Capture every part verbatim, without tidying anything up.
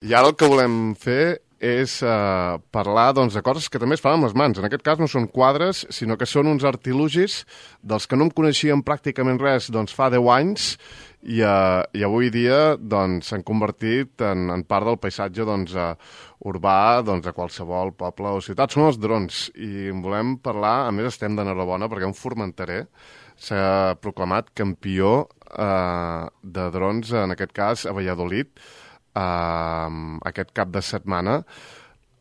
I ara el que volem fer és uh, parlar doncs, de coses que també es fan amb les mans. En aquest cas no són quadres, sinó que són uns artilugis dels que no em coneixíem pràcticament res doncs, fa deu anys i, uh, i avui dia doncs, s'han convertit en, en part del paisatge doncs, uh, urbà doncs, de qualsevol poble o ciutat. Són els drons i en volem parlar, a més estem d'enhorabona perquè un formenterer s'ha proclamat campió uh, de drons, en aquest cas a Valladolid, Uh, aquest cap de setmana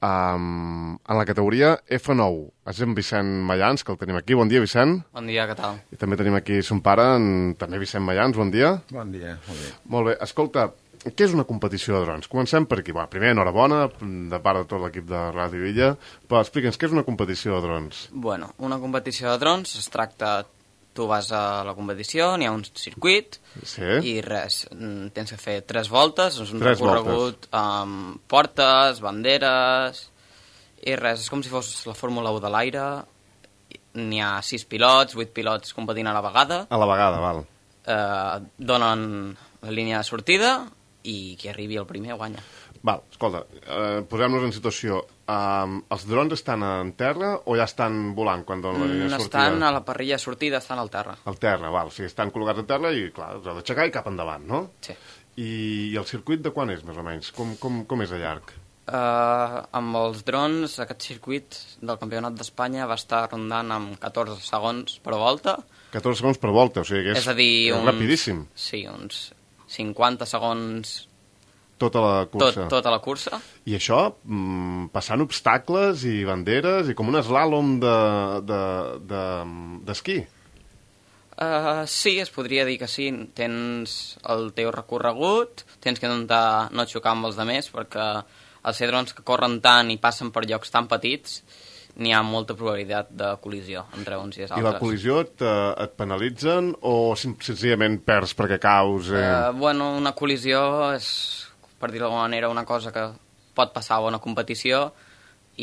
um, en la categoria F nou. És en Vicent Mayans, que el tenim aquí. Bon dia, Vicent. Bon dia, què tal? I també tenim aquí son pare, en, també Vicent Mayans. Bon dia. Bon dia, molt bé. Molt bé. Escolta, què és una competició de drons? Comencem per aquí. Va, primer, enhorabona, de part de tot l'equip de Ràdio Illa. Però explica'ns, què és una competició de drons? Bueno, una competició de drons es tracta... Tu vas a la competició, n'hi ha un circuit sí. i res, tens que fer tres voltes, és un tres recorregut amb portes, banderes i res, és com si fos la Fórmula u de l'aire, n'hi ha sis pilots, vuit pilots competint a la vegada. A la vegada, val. Eh, donen la línia de sortida i qui arribi el primer guanya. Val, escolta, eh, posem-nos en situació. Um, els drons estan en terra o ja estan volant quan donen la línia de sortida? Estan a la parrilla de sortida, estan al terra. Al terra, val. O sigui, estan col·locats a terra i, clar, els heu d'aixecar i cap endavant, no? Sí. I, I el circuit de quan és, més o menys? Com, com, com és de llarg? Uh, amb els drons, aquest circuit del Campionat d'Espanya va estar rondant amb catorze segons per volta. catorze segons per volta, o sigui que és, és, a dir, és uns, rapidíssim. Sí, uns cinquanta segons... Tota la cursa. Tot, tota la cursa. I això, mm, passant obstacles i banderes i com un eslàlom d'esquí. De, de, de, uh, sí, es podria dir que sí. Tens el teu recorregut, tens que intentar no xocar amb els altres, perquè els ser drons que corren tant i passen per llocs tan petits, n'hi ha molta probabilitat de col·lisió entre uns i els altres. I la col·lisió et, et penalitzen o senzillament perds perquè caus? Eh? Uh, bueno, una col·lisió és... per dir-ho d'alguna manera, una cosa que pot passar a una competició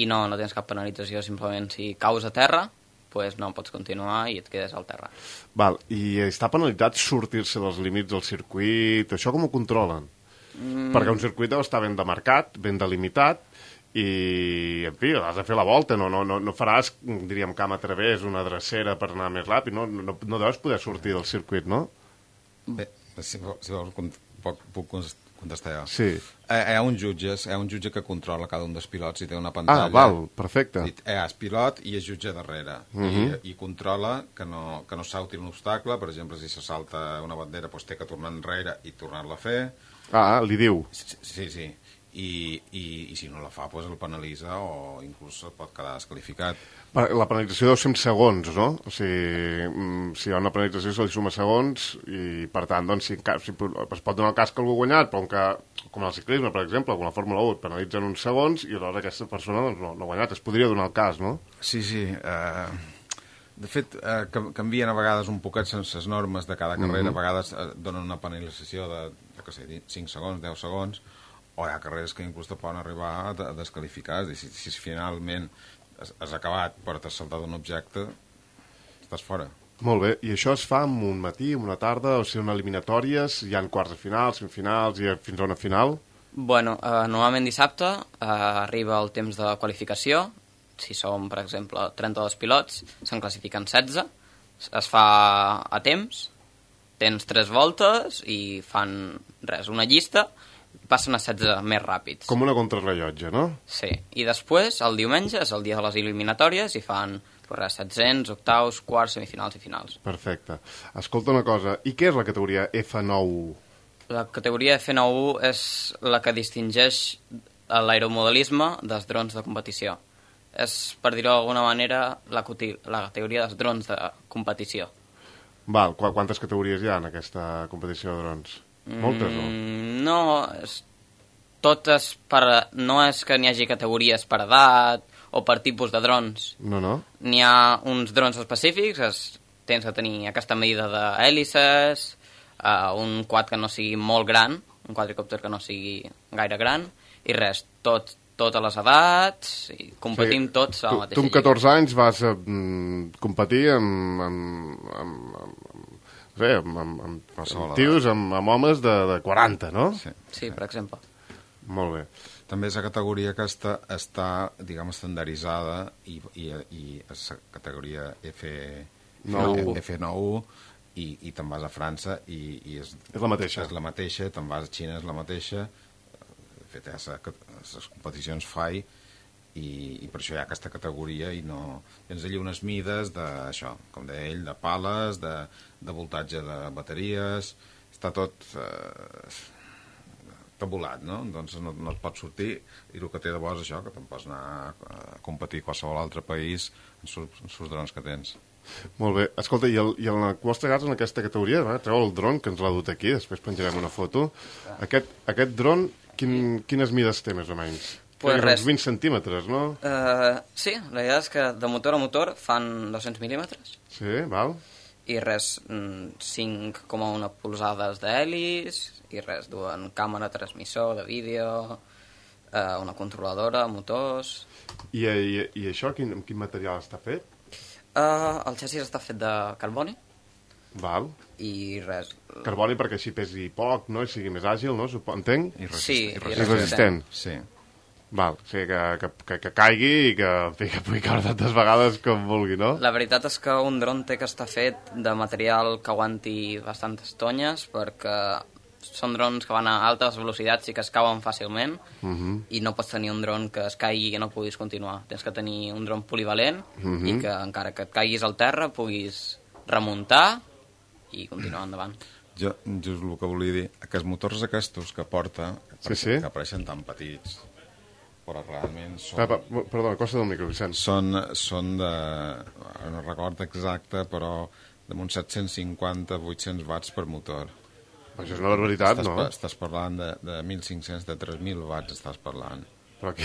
i no, no tens cap penalització, simplement si caus a terra, pues no pots continuar i et quedes al terra. Val, i està penalitzat sortir-se dels límits del circuit? Això com ho controlen? Mm. Perquè un circuit deu estar ben demarcat, ben delimitat, i, en fi, has de fer la volta, no, no, no, no faràs, diríem, camp a través, una drecera per anar més ràpid, no, no, no deus poder sortir del circuit, no? Bé, si, si vols, puc, puc contestar jo. Sí. Eh, hi ha un jutge, hi ha un jutge que controla cada un dels pilots i té una pantalla. Ah, val, perfecte. I, eh, és pilot i és jutge darrere. Uh -huh. I, I controla que no, que no salti un obstacle. Per exemple, si se salta una bandera, doncs té que tornar enrere i tornar-la a fer. Ah, li diu. Sí, sí. sí. I, i, i si no la fa, doncs el penalitza o inclús el pot quedar desqualificat. La penalització deu ser en segons, no? O sigui, si hi ha una penalització se li suma segons i, per tant, doncs, si, si es pot donar el cas que algú ha guanyat, però que, com el ciclisme, per exemple, com la Fórmula u, et penalitzen uns segons i aleshores aquesta persona doncs, no, no ha guanyat. Es podria donar el cas, no? Sí, sí. Uh, de fet, uh, canvien a vegades un poquet les normes de cada carrera. Mm-hmm. A vegades uh, donen una penalització de, de què sé, cinc segons, deu segons, o hi ha carreres que inclús te poden arribar a desqualificar. Si, si finalment has, has acabat però t'has saltat un objecte, estàs fora. Molt bé, i això es fa en un matí, en una tarda, o sigui, en eliminatòries, hi ha quarts de final, semifinals, i fins a una final? Bueno, eh, normalment dissabte eh, arriba el temps de qualificació. Si som, per exemple, trenta-dos pilots, se'n classifiquen setze, es fa a temps, tens tres voltes i fan, res, una llista, passen a setze més ràpids. Com una contrarrellotge, no? Sí, i després, el diumenge, és el dia de les eliminatòries, i fan res, set-cents, octaus, quarts, semifinals i finals. Perfecte. Escolta una cosa, i què és la categoria F nou? La categoria F nou és la que distingeix l'aeromodelisme dels drons de competició. És, per dir-ho d'alguna manera, la, la categoria dels drons de competició. Val, qu quantes categories hi ha en aquesta competició de drons? Moltes, no? Mm, no, és, totes per, no és que n'hi hagi categories per edat o per tipus de drons. No, no. N'hi ha uns drons específics, és, tens que tenir aquesta medida d'hèlices, uh, un quad que no sigui molt gran, un quadricòpter que no sigui gaire gran, i res, tot, totes les edats, i competim sí, tots a la mateixa lliga. Tu amb catorze anys vas a mm, competir amb, amb, amb, amb, bé, amb, amb, amb, amb tios, amb, amb homes de, de quaranta, no? Sí, sí, per exemple. Molt bé. També és la categoria que està, està diguem, estandarditzada i, i, i és la categoria F nou i, i te'n vas a França i, i és, és la mateixa. És la mateixa, te'n vas a Xina, és la mateixa. De fet, hi ha les competicions F A I i, i per això hi ha aquesta categoria i no... Tens allà unes mides d'això, com deia ell, de pales, de, de voltatge de bateries, està tot eh, tabulat, no? Doncs no, no et pots sortir i el que té de bo és això, que te'n pots anar a competir a qualsevol altre país en els drons que tens. Molt bé. Escolta, i, el, i en el vostre cas, en aquesta categoria, eh, treu el dron, que ens l'ha dut aquí, després penjarem una foto. Aquest, aquest dron, quin, quines mides té, més o menys? Pues res. Uns vint centímetres, no? Uh, sí, la idea és que de motor a motor fan dos-cents mil·límetres. Sí, val. I res, cinc coma un polzades d'helis, i res, duen càmera, transmissor de vídeo, uh, una controladora, motors... I, i, i això, quin, quin material està fet? Uh, el xassis està fet de carboni. Val. I res... Carboni perquè així pesi poc, no? I sigui més àgil, no? Entenc? I resist, sí, i i resistent. resistent. Sí. Val, o sigui, que, que, que, que caigui i que, que pugui caure tantes vegades com vulgui, no? La veritat és que un dron té que estar fet de material que aguanti bastantes tonyes, perquè són drons que van a altes velocitats i que es cauen fàcilment, uh -huh. i no pots tenir un dron que es caigui i que no puguis continuar. Tens que tenir un dron polivalent uh -huh. i que encara que et caiguis al terra puguis remuntar i continuar endavant. Jo just el que volia dir, que els motors aquests que porta, sí, sí. que apareixen tan petits, però realment són... Ah, perdona, costa del micro, Vicent. Són, són de... no recordo exacte, però damunt set-cents cinquanta a vuit-cents watts per motor. Això és una barbaritat, estàs, no? Estàs parlant de, de mil cinc-cents, de tres mil watts estàs parlant. Però aquí...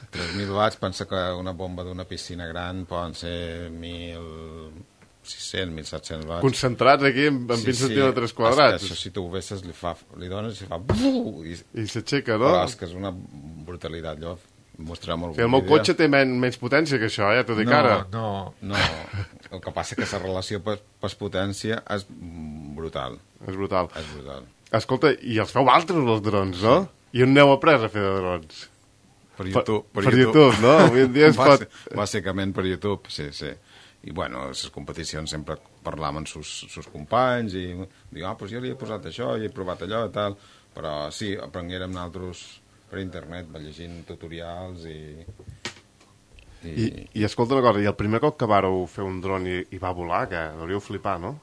tres mil watts, pensa que una bomba d'una piscina gran poden ser mil sis-cents, mil set-cents watts. Concentrats aquí en, en sí, vint centímetres sí. quadrats. Això, si tu ho vesses, li, fa, li dones i fa... I, I s'aixeca, no? Però és que és una brutalitat, allò. Mostrarem el, sí, el meu vídeo. Cotxe té men, menys potència que això, ja t'ho dic no, ara. No, no, el que passa que la relació per, per potència és brutal. És brutal. És brutal. Escolta, i els feu altres, els drons, no? Sí. I on n'heu après a fer de drons? Per YouTube. Per, per, per YouTube. YouTube, no? Avui en dia es pot... Bàsicament per YouTube, sí, sí. I, bueno, les competicions sempre parlàvem amb sus, sus companys i dic, ah, doncs jo li he posat això, i he provat allò i tal, però sí, aprenguérem nosaltres per internet, va llegint tutorials i... I, I, i escolta una cosa, i el primer cop que vàreu fer un dron i, i va volar, que hauríeu flipar, no?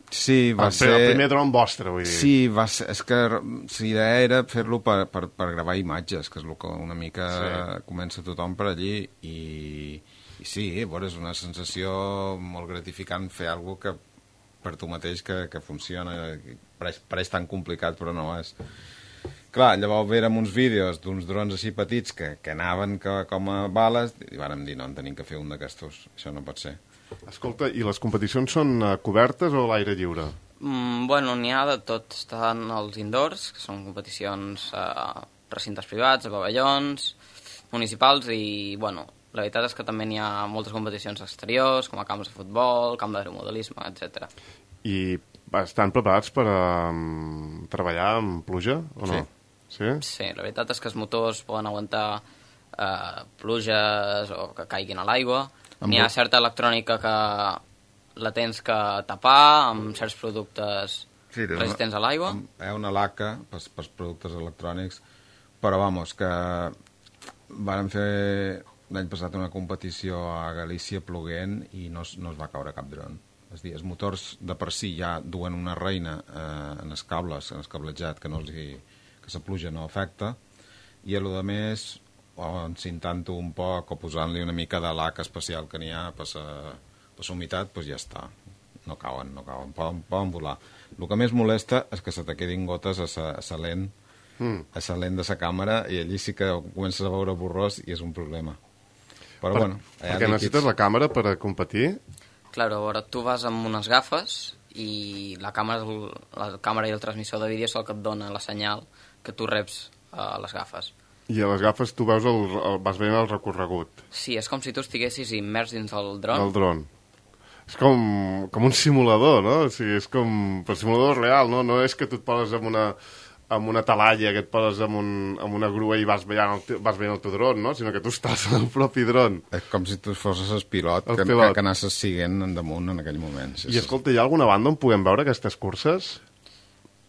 Sí, va el, ser... El primer dron vostre, vull dir. Sí, va ser... És que l'idea era fer-lo per, per, per gravar imatges, que és el que una mica sí. comença tothom per allí, i, i sí, bueno, és una sensació molt gratificant fer alguna cosa que per tu mateix que, que funciona, pareix, pareix tan complicat, però no és... Clar, llavors vèrem uns vídeos d'uns drons així petits que, que anaven que, com a bales i vàrem dir, no, en tenim que fer un d'aquestos. Això no pot ser. Escolta, i les competicions són uh, cobertes o a l'aire lliure? Mm, bueno, n'hi ha de tot. Estan els indoors, que són competicions a recintes privats, a pavellons, municipals i, bueno, la veritat és que també n'hi ha moltes competicions exteriors, com a camps de futbol, camp d'aeromodelisme, etcètera. I estan preparats per um, treballar amb pluja o no? Sí. Sí? Sí, la veritat és que els motors poden aguantar eh, pluges o que caiguin a l'aigua. N'hi ha certa electrònica que la tens que tapar amb certs productes sí, resistents a l'aigua. Hi ha una laca pels, pels productes electrònics, però vamos, que vàrem fer l'any passat una competició a Galícia ploguent i no, no es va caure cap dron. És a dir, els motors de per si ja duen una reina eh, en els cables, en el cablejat, que no els hi, que la pluja no afecta, i a lo de més, o encintant-ho un poc o posant-li una mica de lac especial que n'hi ha per la humitat, doncs ja està. No cauen, no cauen, poden, poden volar. El que més molesta és que se te quedin gotes a la lent, mm. a la lent de la càmera, i allí sí que comences a veure borrós i és un problema. Però, per, bueno, perquè necessites la càmera per a competir? Claro, a veure, tu vas amb unes gafes i la càmera, la càmera i el transmissor de vídeo és el que et dona la senyal que tu reps a les gafes. I a les gafes tu veus el, el, vas veient el recorregut. Sí, és com si tu estiguessis immers dins del dron. El dron. És com, com un simulador, no? O sigui, és com... Però simulador real, no? No és que tu et poses amb una, amb una talalla que et poses amb, un, amb una grua i vas veient, el, vas veient el teu dron, no? Sinó que tu estàs en el propi dron. És com si tu fossis el pilot, el que, pilot. que, que anessis siguent endamunt en aquell moment. Sí, I escolta, hi ha alguna banda on puguem veure aquestes curses?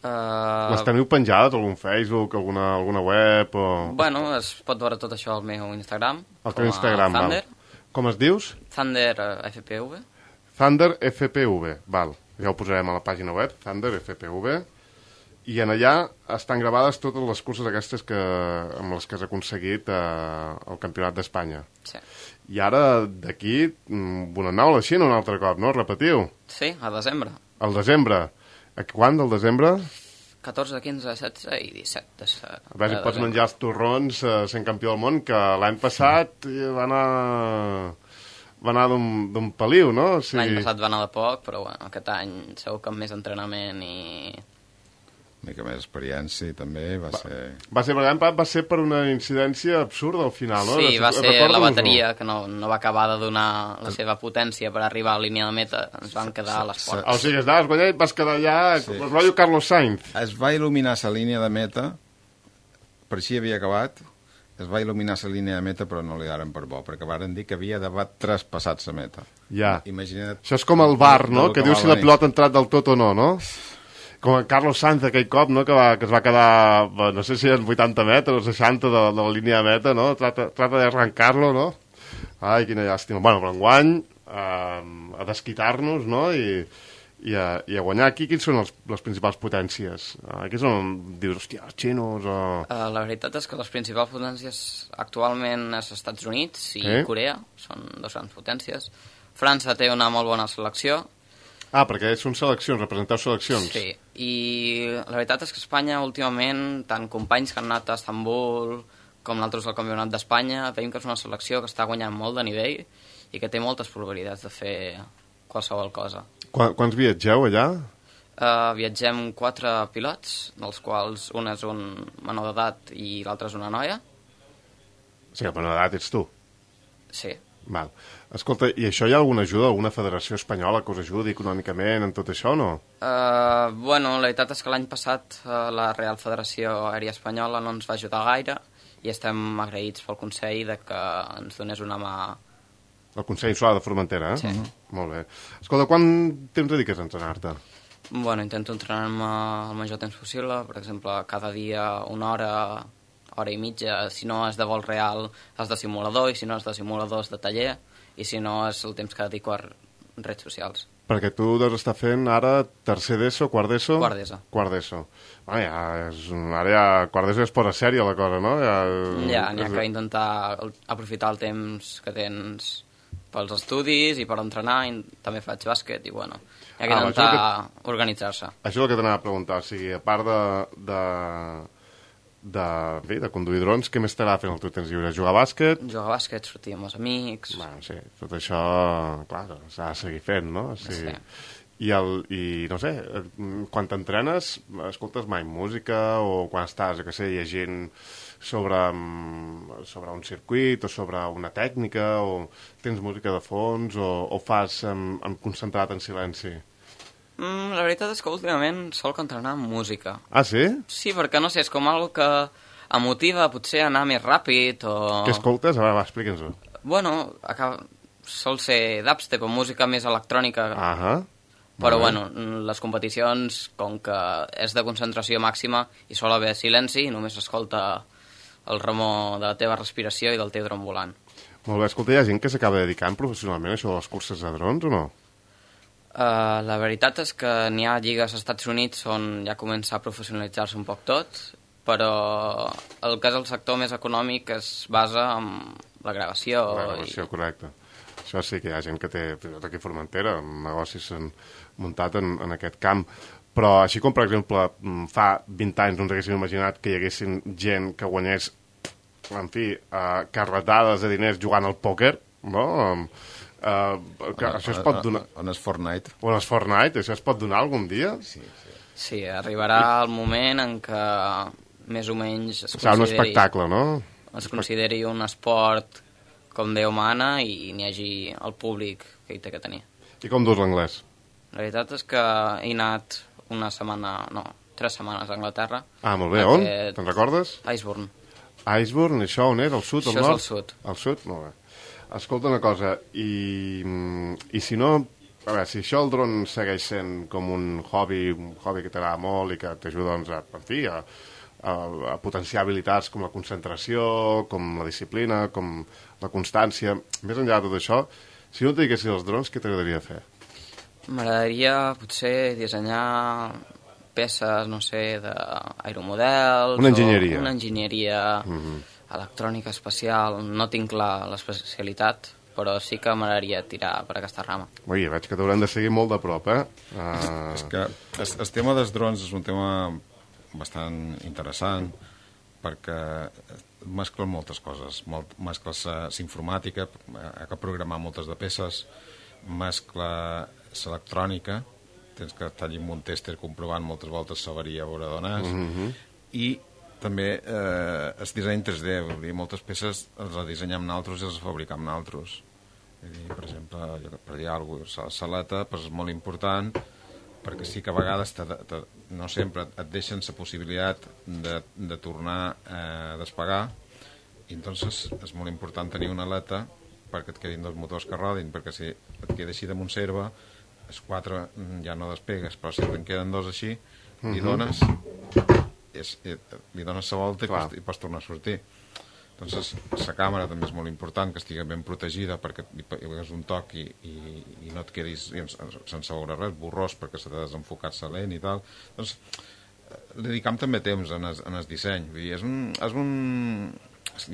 Uh, Les teniu penjades a algun Facebook, alguna, alguna web? O... Bueno, es pot veure tot això al meu Instagram. Al teu Instagram, Thunder. val. Com es dius? Thunder uh, F P V. Thunder F P V, val. Ja ho posarem a la pàgina web, Thunder F P V. I en allà estan gravades totes les curses aquestes que, amb les que has aconseguit eh, el Campionat d'Espanya. Sí. I ara, d'aquí, on aneu a la Xina un altre cop, no? Repetiu. Sí, a desembre. Al desembre. A quan del desembre? catorze, quinze, setze i disset. De, A veure si pots menjar els torrons eh, sent campió del món, que l'any passat va anar... va anar d'un paliu, no? O sigui... L'any passat va anar de poc, però bueno, aquest any segur que amb més entrenament i... Una mica més experiència i també va, va ser... Va ser, per exemple, va ser per una incidència absurda al final, no? Sí, va ser la Recorda-nos-ho. bateria que no, no va acabar de donar la seva potència per arribar a la línia de meta. Ens van quedar a les Ah, portes. o sigui, anaves guanyant i vas quedar allà sí. com el rotllo Carlos Sainz. Es va il·luminar la línia de meta, per així havia acabat, es va il·luminar la línia de meta, però no li daren per bo, perquè varen dir que havia d'haver traspassat la meta. Ja. Imagina't... Això és com el bar, no? que Que diu va si la venir. pilota ha entrat del tot o no, no? Com el Carlos Sainz aquell cop, no? Que, va, que es va quedar, no sé si en vuitanta metres o seixanta de, de la línia de meta, no? Trata, trata d'arrencar-lo, no? Ai, quina llàstima. Bueno, però enguany, eh, a desquitar-nos, no? I, i, a, i a guanyar aquí. Quins són els, les principals potències? Aquí és on dius, hòstia, els xinos o... Uh, la veritat és que les principals potències actualment és als Estats Units i Eh? Corea, són dos grans potències. França té una molt bona selecció. Ah, perquè són seleccions, representeu seleccions. Sí, i la veritat és que Espanya últimament, tant companys que han anat a Estambul com nosaltres al Campionat d'Espanya, veiem que és una selecció que està guanyant molt de nivell i que té moltes probabilitats de fer qualsevol cosa. Quan, quants viatgeu allà? Uh, viatgem quatre pilots, dels quals un és un menor d'edat i l'altre és una noia. O sigui, per edat ets tu. Sí. Val. Escolta, i això hi ha alguna ajuda, alguna federació espanyola que us ajudi econòmicament en tot això o no? Uh, bueno, la veritat és que l'any passat uh, la Real Federació Aèria Espanyola no ens va ajudar gaire i estem agraïts pel Consell de que ens donés una mà. El Consell Insular de Formentera, eh? Sí. Molt bé. Escolta, quant temps dediques a entrenar-te? Bueno, intento entrenar-me el major temps possible, per exemple, cada dia una hora, hora i mitja, si no és de vol real és de simulador, i si no és de simulador és de taller, i si no és el temps que dedico a redes socials. Perquè tu deus estar fent ara tercer d'ESO, quart d'ESO? Quart d'ESO. Quart d'ESO. Bueno, ja és, ara ja, quart d'ESO és posa sèria la cosa, no? Ja, Ja, n'hi ha que intentar aprofitar el temps que tens pels estudis i per entrenar, i també faig bàsquet, i bueno, hi ha que Ah, intentar això que... organitzar-se. Això és el que t'anava a preguntar, o sigui, a part de, de, de, bé, de conduir drons, què més t'agrada fer en el teu temps lliure? Jugar a bàsquet? Jugar a bàsquet, sortir amb els amics... Bueno, sí, tot això, clar, s'ha de seguir fent, no? O sigui, Sí. I, el, I, no sé, quan t'entrenes, escoltes mai música o quan estàs, jo què sé, llegint sobre, sobre un circuit o sobre una tècnica o tens música de fons o, o fas um, concentrat en silenci? Mm, la veritat és que últimament solc entrenar amb música. Ah, sí? Sí, perquè no sé, és com algo que em motiva potser a anar més ràpid o... Què escoltes? A veure, va, explica'ns-ho. Bueno, acaba... sol ser dubstep o música més electrònica, Ahà. però Molt bé. bueno, les competicions, com que és de concentració màxima i sol haver silenci, només s'escolta el remor de la teva respiració i del teu dron volant. Molt bé, escolta, hi ha gent que s'acaba dedicant professionalment a això de les curses de drons o no? Uh, la veritat és que n'hi ha lligues als Estats Units on ja comença a professionalitzar-se un poc tot, però el que és el sector més econòmic es basa en la gravació. La gravació, i... correcte. Això sí que hi ha gent que té, fins i tot aquí a Formentera, negocis s'han muntat en, en aquest camp. Però així com, per exemple, fa vint anys no ens haguéssim imaginat que hi haguessin gent que guanyés, en fi, uh, carretades de diners jugant al pòquer, no? Uh, que on, això es pot donar... On és Fortnite? O en els Fortnite, això es pot donar algun dia? Sí, sí. Sí, arribarà el moment en què més o menys es Serà un consideri, espectacle, no? es consideri un esport com Déu mana i n'hi hagi el públic que hi té que tenir. I com dus l'anglès? La veritat és que he anat una setmana, no, tres setmanes a Anglaterra. Ah, molt bé. On? Te'n recordes? Iceburn. Iceburn, això on era? Al sud, al Això nord? és al sud. Al sud? Molt bé. Escolta una cosa, i, i si no... A veure, si això el dron segueix sent com un hobby, un hobby que t'agrada molt i que t'ajuda, doncs, a, en fi, a, a, a potenciar habilitats com la concentració, com la disciplina, com la constància, més enllà de tot això, si no et diguessis els drons, què t'agradaria fer? M'agradaria, potser, dissenyar peces, no sé, d'aeromodels... Una enginyeria. Una enginyeria Mm-hmm. electrònica espacial. No tinc clar l'especialitat, però sí que m'agradaria tirar per aquesta rama. Ui, veig que t'haurem de seguir molt de prop, eh? Uh... És que el, el tema dels drons és un tema bastant interessant perquè mesclen moltes coses. Molt, mescles l'informàtica, ha que programar moltes de peces, mescla l'electrònica, tens que estar allà amb un tèster comprovant moltes voltes s'avaria a veure d'on és, Mm-hmm. i també eh, el disseny tres D, vull dir, moltes peces les dissenyem nosaltres i les fabricam nosaltres. Vull dir, per exemple, per dir alguna cosa, la saleta pues, és molt important perquè sí que a vegades, te, te, no sempre, et deixen la possibilitat de, de tornar a despegar, i entonces és molt important tenir una aleta perquè et quedin dos motors que rodin, perquè si et queda així de Montserva, els quatre ja no despegues, però si te'n queden dos així, mm-hmm. li dones... És, li dones la volta i pots, i pots tornar a sortir. Entonces, la càmera també és molt important, que estigui ben protegida perquè li pegues un toc i, i, i no et quedis sense veure res, borrós perquè s'ha de desenfocar la lent i tal. Doncs dedicam també temps en el, en el disseny. Vull dir, és un... És un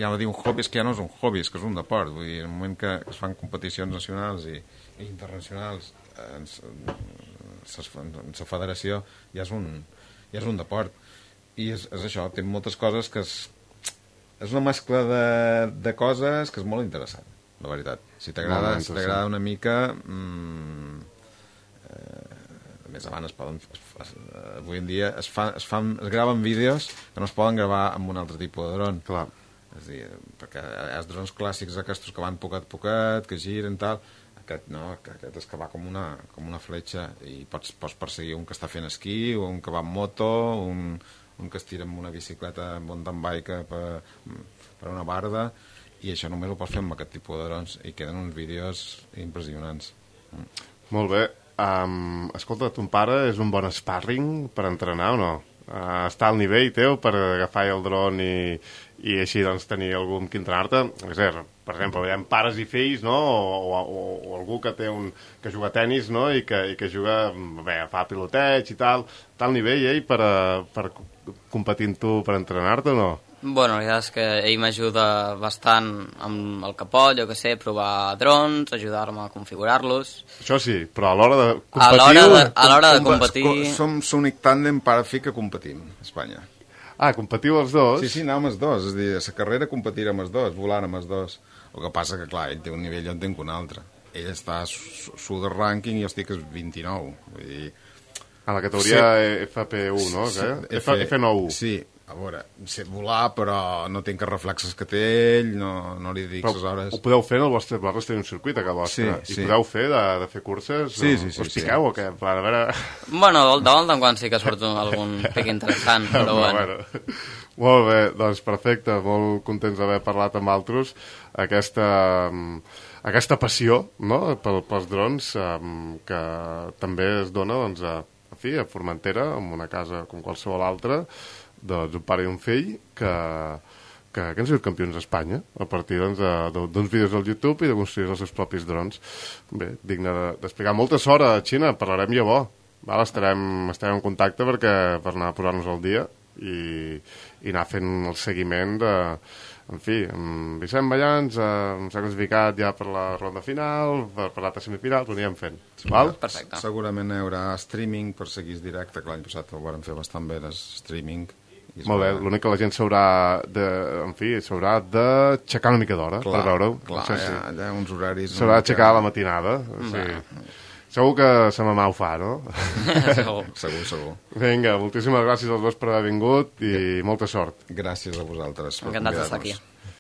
ja no diu un hobby, és que ja no és un hobby, és que és un deport. Vull dir, en el moment que es fan competicions nacionals i, i internacionals en la federació ja és un, ja és un deport. I és, és això, té moltes coses que és, és una mescla de, de coses que és molt interessant, la veritat. Si t'agrada si t'agrada una mica... Mmm, eh, més avant es poden... Es, avui en dia es, fa, es, fan, es graven vídeos que no es poden gravar amb un altre tipus de dron. Clar. És a dir, perquè hi ha els drons clàssics aquests que van poquet a poquet, que giren, tal... Aquest no, aquest és que va com una, com una fletxa i pots, pots perseguir un que està fent esquí, o un que va en moto, un... un que es tira amb una bicicleta mountain bike per, per una barda, i això només ho pots fer amb aquest tipus de drons i queden uns vídeos impressionants. Mm. Molt bé. Um, escolta, ton pare és un bon sparring per entrenar o no? Uh, està al nivell teu per agafar el dron i, i així doncs tenir algú amb qui entrenar-te? És a dir, per exemple, veiem pares i fills, no? O, o, o algú que té un que juga a tenis, no? I que, i que juga, bé, fa piloteig i tal. Està al nivell ell per, per competir amb tu per entrenar-te o no? Bueno, la veritat és que ell m'ajuda bastant amb el que pot, jo que sé, provar drons, ajudar-me a configurar-los. Això sí, però a l'hora de competir... A l'hora de, a l'hora de competir... Som l'únic tàndem pare-fill que competim a Espanya. Ah, competiu els dos? Sí, sí, anàvem els dos. És a dir, a la carrera competirem els dos, volant amb els dos. El que passa que, clar, ell té un nivell i jo en tinc un altre. Ell està a sud del rànquing i jo estic a vint-i-nou. Vull dir... A la categoria sí. F P u, no? Sí, F, F nou. Sí, a veure, sé volar, però no tinc els reflexes que té ell, no, no li dic les hores... Ho podeu fer en el vostre barri, té un circuit a casa vostra. Sí, I sí. podeu fer de, de fer curses? Sí, o, sí, sí. Us piqueu sí. o què? A veure... Bueno, de volta en quan sí que surt algun pic interessant, però bueno. bueno. Molt bé, doncs perfecte, molt contents d'haver parlat amb altres. Aquesta, aquesta passió, no?, pel, pels drons, um, que també es dona, doncs, a, a, fi, a Formentera, en una casa com qualsevol altra, doncs un pare i un fill que, que, que han sigut campions d'Espanya a partir doncs, d'uns vídeos al YouTube i de construir els seus propis drons. Bé, digne d'explicar. Molta sort a Xina, parlarem llavors. Val? Estarem, estarem en contacte perquè, per anar a posar-nos al dia i, i anar fent el seguiment de... En fi, amb Vicent Ballans eh, s'ha classificat ja per la ronda final, per, per l'altra semifinal, ho anirem fent. Val? Perfecte. Segurament hi haurà streaming per seguir directe, que l'any passat ho vam fer bastant bé, el streaming. Molt bé, l'únic que la gent s'haurà de, en fi, s'haurà d'aixecar una mica d'hora per veure-ho. Clar, no sé hi, ha, hi ha uns horaris... S'haurà d'aixecar a la matinada. Sí. Segur que sa mamà ho fa, no? Segur. Segur, segur. Vinga, moltíssimes gràcies als dos per haver vingut i molta sort. Gràcies a vosaltres. Encantats d'estar aquí.